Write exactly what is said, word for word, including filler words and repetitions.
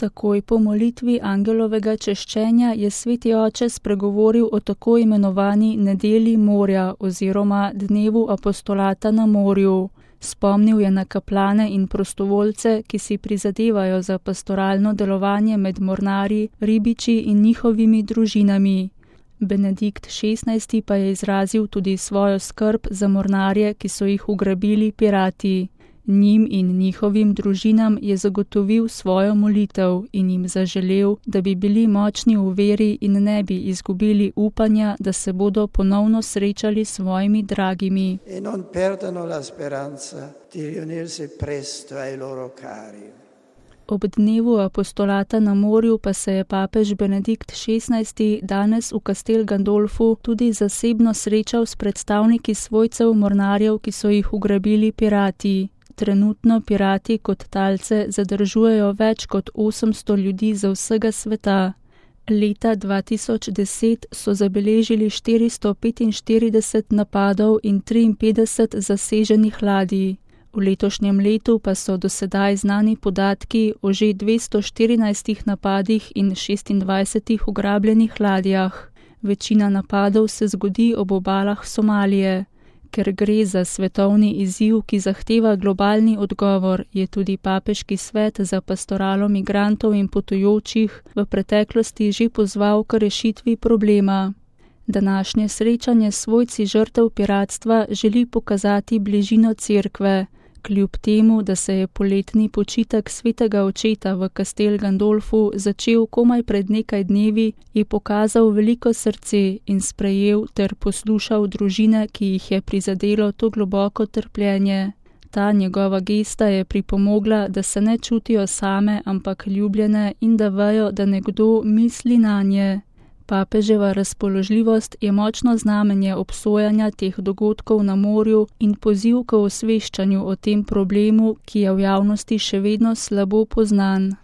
Takoj po molitvi angelovega češčenja je sveti oče spregovoril o tako imenovani nedelji morja oziroma dnevu apostolata na morju. Spomnil je na kaplane in prostovoljce, ki si prizadevajo za pastoralno delovanje med mornarji, ribiči in njihovimi družinami. Benedikt šestnajsti pa je izrazil tudi svojo skrb za mornarje, ki so jih ugrabili pirati. Njim in njihovim družinam je zagotovil svojo molitev in jim zaželel, da bi bili močni v veri in ne bi izgubili upanja, da se bodo ponovno srečali s svojimi dragimi. E non perdano la speranza di riunirsi presto ai loro cari. Ob dnevu apostolata na morju pa se je papež Benedikt šestnajsti danes v Castel Gandolfu tudi zasebno srečal s predstavniki svojcev mornarjev, ki so jih ugrabili pirati. Trenutno pirati kot talce zadržujejo več kot osemsto ljudi za vsega sveta. Leta dva tisoč deset so zabeležili štiristo petinštirideset napadov in triinpetdeset zaseženih ladij. V letošnjem letu pa so do sedaj znani podatki o že dvesto štirinajstih napadih in šestindvajsetih ugrabljenih ladjah. Večina napadov se zgodi ob obalah Somalije. Ker gre za svetovni izziv, ki zahteva globalni odgovor, je tudi Papeški svet za pastoralo migrantov in potujočih v preteklosti že pozval k rešitvi problema. Današnje srečanje s svojci žrtev piratstva želi pokazati bližino cerkve. Kljub temu, da se je poletni počitek svetega očeta v Castel Gandolfu začel komaj pred nekaj dnevi, je pokazal veliko srce in sprejel ter poslušal družine, ki jih je prizadelo to globoko trpljenje. Ta njegova gesta je pripomogla, da se ne čutijo same, ampak ljubljene in da vejo, da nekdo misli nanje. Papeževa razpoložljivost je močno znamenje obsojanja teh dogodkov na morju in poziv k osveščanju o tem problemu, ki je v javnosti še vedno slabo poznan.